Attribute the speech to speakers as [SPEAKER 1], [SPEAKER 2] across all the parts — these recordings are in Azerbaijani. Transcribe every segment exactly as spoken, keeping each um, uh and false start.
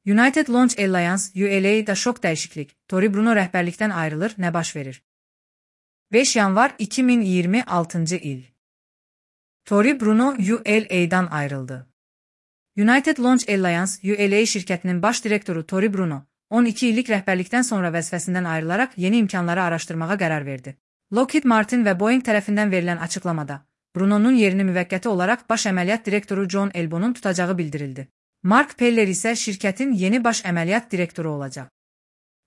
[SPEAKER 1] United Launch Alliance U L A'da şok dəyişiklik. Tory Bruno rəhbərlikdən ayrılır, nə baş verir? beş yanvar iki min iyirmi altıncı il. Tory Bruno U L A'dan ayrıldı. United Launch Alliance U L A şirkətinin baş direktoru Tory Bruno, on iki illik rəhbərlikdən sonra vəzifəsindən ayrılaraq yeni imkanları araşdırmağa qərar verdi. Lockheed Martin və Boeing tərəfindən verilən açıqlamada, Bruno'nun yerini müvəqqəti olaraq baş əməliyyat direktoru John Elbon'un tutacağı bildirildi. Mark Peller isə şirkətin yeni baş əməliyyat direktoru olacaq.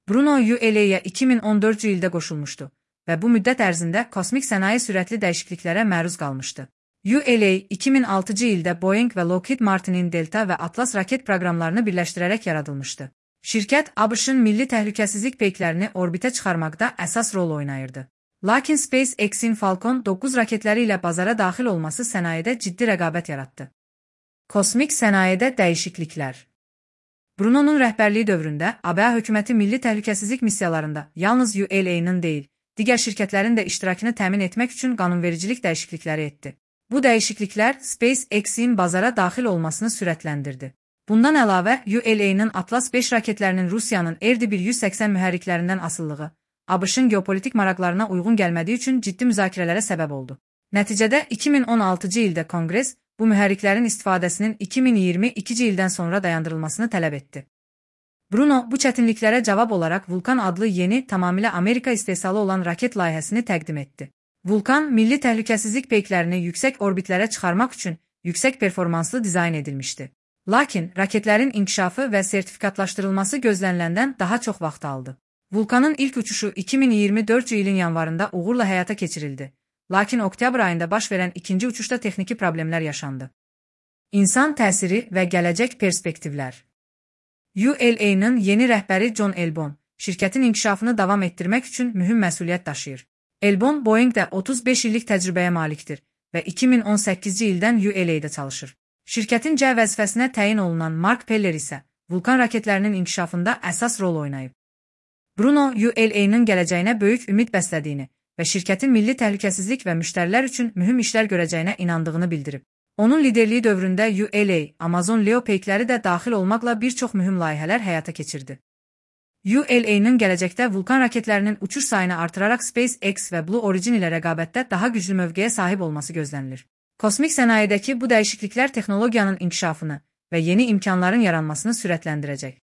[SPEAKER 1] Bruno U L A'ya iki min on dördüncü ildə qoşulmuşdu və bu müddət ərzində kosmik sənaye sürətli dəyişikliklərə məruz qalmışdı. U L A iki min altıncı ildə Boeing və Lockheed Martin'in Delta və Atlas raket proqramlarını birləşdirərək yaradılmışdı. Şirkət A B Ş-ın milli təhlükəsizlik peyklərini orbitə çıxarmaqda əsas rol oynayırdı. Lakin SpaceX-in Falcon doqquz raketləri ilə bazara daxil olması sənayedə ciddi rəqabət yaratdı. Kosmik sənayedə dəyişikliklər. Bruno'nun rəhbərliyi dövründə A B A hökuməti milli təhlükəsizlik missiyalarında yalnız U L A'nın deyil, digər şirkətlərin də iştirakını təmin etmək üçün qanunvericilik dəyişiklikləri etdi. Bu dəyişikliklər SpaceX-in bazara daxil olmasını sürətləndirdi. Bundan əlavə, U L A'nın Atlas beş raketlərinin Rusiyanın R D bir yüz səksən mühərriklərindən asılılığı, A B Ş-ın geopolitik maraqlarına uyğun gəlmədiyi üçün ciddi müzakirələrə səbəb oldu. Nəticədə iki min on altıncı ildə Konqres bu mühərriklərin istifadəsinin iki min iyirmi ikinci ildən sonra dayandırılmasını tələb etdi. Bruno bu çətinliklərə cavab olaraq Vulkan adlı yeni, tamamilə Amerika istehsalı olan raket layihəsini təqdim etdi. Vulkan, milli təhlükəsizlik peyklərini yüksək orbitlərə çıxarmaq üçün yüksək performanslı dizayn edilmişdi. Lakin raketlərin inkişafı və sertifikatlaşdırılması gözləniləndən daha çox vaxt aldı. Vulkanın ilk uçuşu iki min iyirmi dördüncü ilin yanvarında uğurla həyata keçirildi. Lakin oktyabr ayında baş verən ikinci uçuşda texniki problemlər yaşandı. İnsan təsiri və gələcək perspektivlər. U L A'nın yeni rəhbəri John Elbon, şirkətin inkişafını davam etdirmək üçün mühüm məsuliyyət daşıyır. Elbon, Boeingdə otuz beş illik təcrübəyə malikdir və iki min on səkkizinci ildən U L A'da çalışır. Şirkətin C vəzifəsinə təyin olunan Mark Peller isə Vulkan raketlərinin inkişafında əsas rol oynayıb. Bruno U L A'nın gələcəyinə böyük ümid bəslədiyini və şirkətin milli təhlükəsizlik və müştərilər üçün mühüm işlər görəcəyinə inandığını bildirib. Onun liderliyi dövründə U L A, Amazon Leo peykləri də daxil olmaqla bir çox mühüm layihələr həyata keçirdi. U L A'nın gələcəkdə Vulkan raketlərinin uçuş sayını artıraraq SpaceX və Blue Origin ilə rəqabətdə daha güclü mövqeyə sahib olması gözlənilir. Kosmik sənayedəki bu dəyişikliklər texnologiyanın inkişafını və yeni imkanların yaranmasını sürətləndirəcək.